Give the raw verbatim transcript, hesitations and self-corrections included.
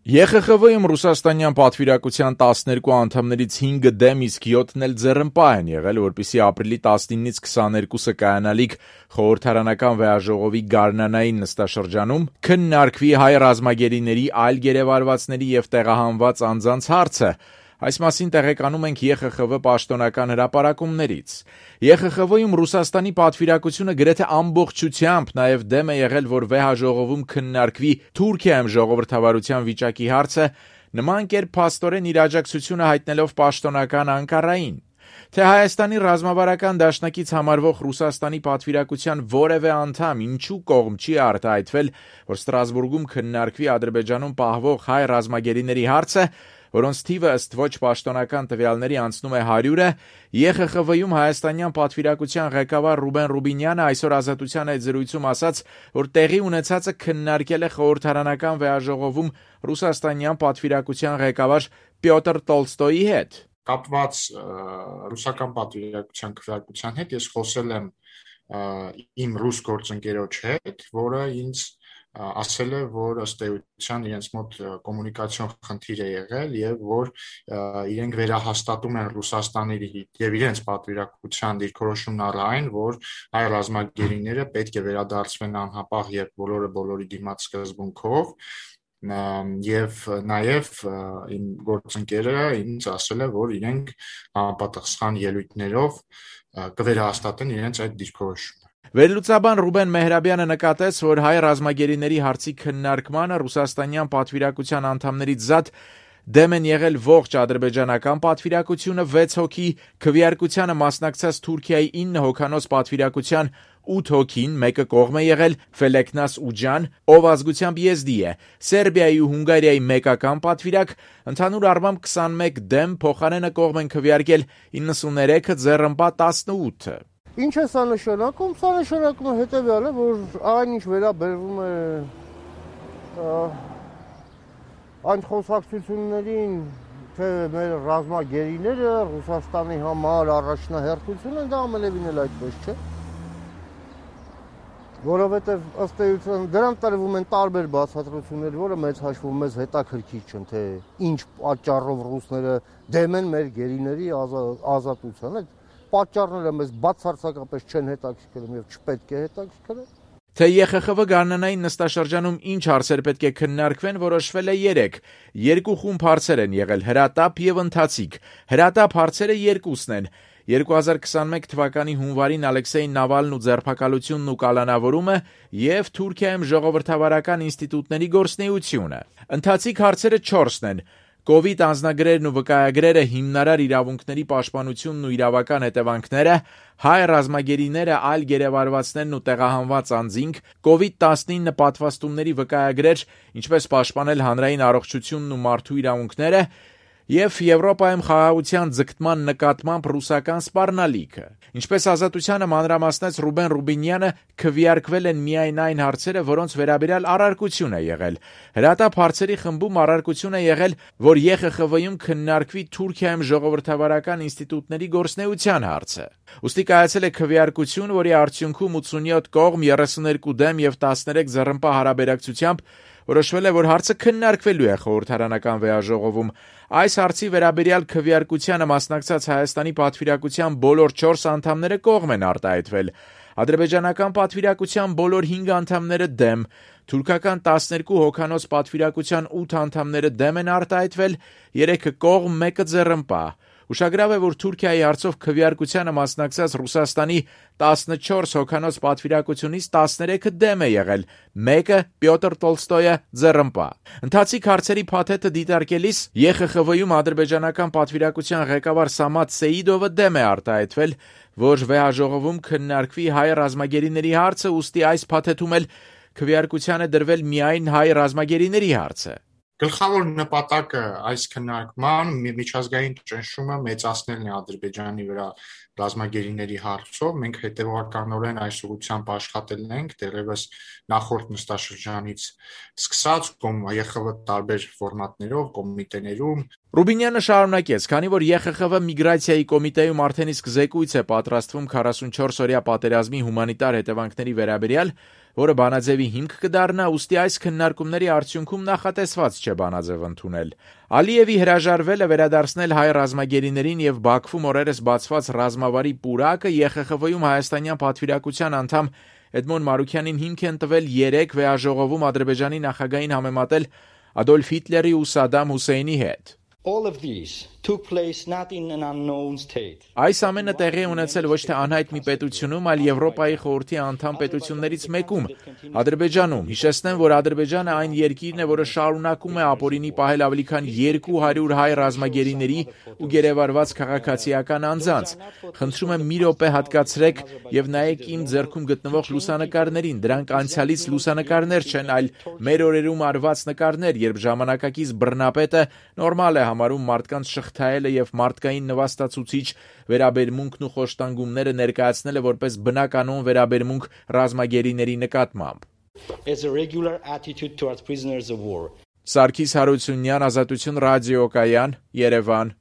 Է Խ Խ V-ում ռուսաստանյան պատվիրակության տասներկու անդամներից հինգը դեմ, իսկ յոթն էլ ձեռնպահ են եղել, որպեսզի ապրիլի տասնինից քսաներկուսը կայանալիք խորհրդարանական վեհաժողովի գարնանային նստաշրջանում քննարկվի հայ ռազմագերիների, այլ գերեվարվածների և տեղահանված անձանց հարցը։ Այս մասին տեղեկանում ենք Է Խ Խ V պաշտոնական հրապարակումներից։ Է Խ Խ V-ում Ռուսաստանի պատվիրակությունը գրեթե ամբողջությամբ նաև դեմ է եղել, որ վեհաժողովում քննարկվի Թուրքիայում ժողովրդավարության վիճակի հարցը, նման կերպ փաստորեն իր աջակցությունը հայտնելով պաշտոնական Անկարային։ Թե Հայաստանի ռազմավարական դաշնակից համարվող Ռուսաստանի պատվիրակության որևէ անդամ ինչու կողմ չի արտահայտվել, որ Ստրասբուրգում քննարկվի Ադրբեջանում պահվող հայ ռազմագերիների հարցը, որոնց թիվը ըստ ոչ պաշտոնական տվյալների անցնում է հարյուրը, Է Խ Խ V-ում հայաստանյան պատվիրակության ղեկավար Ռուբեն Ռուբինյանը այսօր Ազատության այդ զրույցում ասաց, որ տեղի ունեցածը քննարկել է խորհրդարանական վեհաժողովում ռուսաստանյան պատվիրակության ղեկավար Պյոտր Տոլստոյի հետ։ Կապված ռուսական պատվիրակության քվեարկության հետ ես խոսել եմ իմ ռուս գործընկերոջ հետ, որը ինձ ասել է, որ ըստ էության իրենց մոտ կոմունիկացիոն խնդիր է եղել եւ որ իրենք վերահաստատում են Ռուսաստանի եւ իրենց պատվիրակության դիրքորոշումն առ այն, որ հայ ռազմագերիները պետք է վերադարձվեն անհապաղ եւ բոլորը բոլորի դիմաց սկզբունքով եւ նաեւ իմ գործընկերը ինձ ասել է, որ իրենք համապատասխան ելույթներով կվերահաստատեն իրենց այդ դիրքորոշումը։ Վերլուծաբան Ռուբեն Մեհրաբյանը նկատեց, որ հայ ռազմագերիների հարցի քննարկմանը ռուսաստանյան պատվիրակության անդամներից զատ դեմ են եղել ողջ ադրբեջանական պատվիրակությունը վեց հոգի, քվեարկությանը մասնակցած Թուրքիայի ինը հոգանոց պատվիրակության ութ հոգին, մեկը կողմ է եղել Ֆելեկնաս Ուջան, ով ազգությամբ եզդի է, Սերբիայի ու Հունգարիայի մեկական պատվիրակ, ընդհանուր առմամբ քսանմեկ դեմ, փոխարենը կողմ են քվեարկել իննսուններեքը, ձեռնպահ տասնութը։ Ինչ է սա նշանակում, սա նշանակում է հետևյալը, որ այն ինչ վերաբերվում է այն խոսակցություններին, թե մեր ռազմագերիները Ռուսաստանի համար առաջնահերթություն են, դա ամենևին էլ այդպես չէ, որովհետև ըստ էության դրանք տրվում են տարբեր բացատրություններ, որը մեծ հաշվով մեզ հետաքրքիր չեն, թե ինչ պատճառով ռուսները դեմ են մեր գերիների ազատությանը, պատճառները մեզ բացարձակապես չեն հետաքրքրում եւ չպետք է հետաքրքրեն։ Թե Է Խ Խ V գարնանային նստաշրջանում ինչ հարցեր պետք է քննարկվեն, որոշվել է երեք։ Երկու խումբ հարցեր են եղել՝ հրատապ եւ ընթացիկ։ Հրատապ հարցերը երկուսն են. երկու հազար քսանմեկ թվականի հունվարին Ալեքսեյ Նավալն ու ձերբակալությունն ու կալանավորումը եւ Թուրքիայում ժողովրդավարական ինստիտուտների գործունեությունը։ Ընթացիկ հարցերը չորսն են. Կովիդ անձնագրերն ու վկայագրերը, հիմնարար իրավունքների պաշտպանությունն ու իրավական հետևանքները, հայ ռազմագերիները, այլ գերեվարվածներն ու տեղահանված անձինք, Կովիդ տասնինը պատվաստումների վկայագրեր, ինչպես պաշտպանել հանրային առողջությունն ու մարդու իրավունքները, եւ Եվրոպայում խաղաղության ձգտման նկատմամբ ռուսական սպառնալիքը։ Ինչպես Ազատությանը մանրամասնեց Ռուբեն Ռուբինյանը, քվեարկվել են միայն այն հարցերը, որոնց վերաբերյալ առարկություն է եղել։ Հրատապ հարցերի խմբում առարկություն է եղել, որ Է Խ Խ V-ում քննարկվի Թուրքիայում ժողովրդավարական ինստիտուտների գործունեության հարցը։ Ուստի կայացել է քվեարկություն, որի արդյունքում ութսունյոթ կողմ, երեսուներկու դեմ եւ տասներեք ձեռնպահ հարաբերակցությամբ որոշվել է, որ հարցը քննարկվելու է խորհրդարանական վեհաժողովում։ Այս հարցի վերաբերյալ քվեարկությանը մասնակցած Հայաստանի պատվիրակության բոլոր չորս անդամները կողմ են արտահայտվել։ Ադրբեջանական պատվիրակության բոլոր հինգ անդամները դեմ, թուրքական տասներկու հոգանոց պատվիրակության ութ անդամները դեմ են արտահայտվել, երեքը կողմ, մեկը ձեռնպահ։ Ուշագրավ է, որ Թուրքիայի հարցով քվեարկությանը մասնակցած Ռուսաստանի տասնչորս հոգանոց պատվիրակությունից տասներեքը դեմ է եղել, մեկը Պյոտր Տոլստոյը ձեռնպահ։ Ընթացիկ հարցերի փաթեթը դիտարկելիս Է Խ Խ V-ում ադրբեջանական պատվիրակության ղեկավար Սամատ Սեիդովը դեմ է արտահայտվել, որ վեհաժողովում քննարկվի հայ ռազմագերիների հարցը, ուստի այս փաթեթում էլ քվեարկության է դրվել միայն հայ ռազմագերիների հարցը։ Գլխավոր նպատակը այս քննարկման միջազգային ճնշումը մեծացնելն է Ադրբեջանի վրա ռազմագերիների հարցով։ Մենք հետևականորեն այս ուղղությամբ աշխատել ենք դեռևս նախորդ նստաշրջանից սկսած Է Խ V տարբեր ֆորմատներով, կոմիտեներում։ Ռուբինյանը շարունակեց, քանի որ Է Խ Խ V միգրացիայի կոմիտեում արդեն իսկ զեկույց է պատրաստվում քառասունչորս օրյա պատերազմի հումանիտար հետևանքների վերաբերյալ, որը բանաձևի հիմք կդառնա, ուստի այս քննարկումների արդյունքում նախատեսված չէ բանաձև ընդունել։ Ալիևի հրաժարվելը վերադարձնել հայ ռազմագերիներին եւ Բաքվում օրերս բացված ռազմավարի պուրակը Է Խ Խ V-ում հայաստանյան պատվիրակության անդամ Էդմոն Մարուքյանին հիմք են տվել երեք վեաժողովում Ադրբեջանի նախագահին համեմատել Ադոլֆ Հիտլերի ու Սադամ Հուսեյնի հետ։ All of these took place not in an unknown state. Այս ամենը տեղի ունեցել ոչ թե անհայտ մի պետությունում, այլ Եվրոպայի խորհրդի անդամ պետություններից մեկում, Ադրբեջանում։ Հիշեցնեմ, որ Ադրբեջանը այն երկիրն է, որը շարունակում է ապօրինի պահել ավելի քան երկու հարյուր հայ ռազմագերիների ու գերեվարված քաղաքացիական անձանց։ Խնդրում եմ մի րոպե հատկացրեք եւ նայեք իմ ձեռքում գտնվող լուսանկարներին։ Դրանք անցյալից լուսանկարներ չեն, այլ մեր օրերում արված նկարներ, երբ ժամանակակից բռնապետը նորմալ է համարում մարդկանց շղթայելը եւ մարդկային նվաստացուցիչ վերաբերմունքն ու խոշտանգումները ներկայացնելը որպես բնականon վերաբերմունք ռազմագերիների նկատմամբ։ As a regular attitude towards prisoners of war. Սարգիս Հարությունյան, Ազատություն ռադիոկայան, Երևան։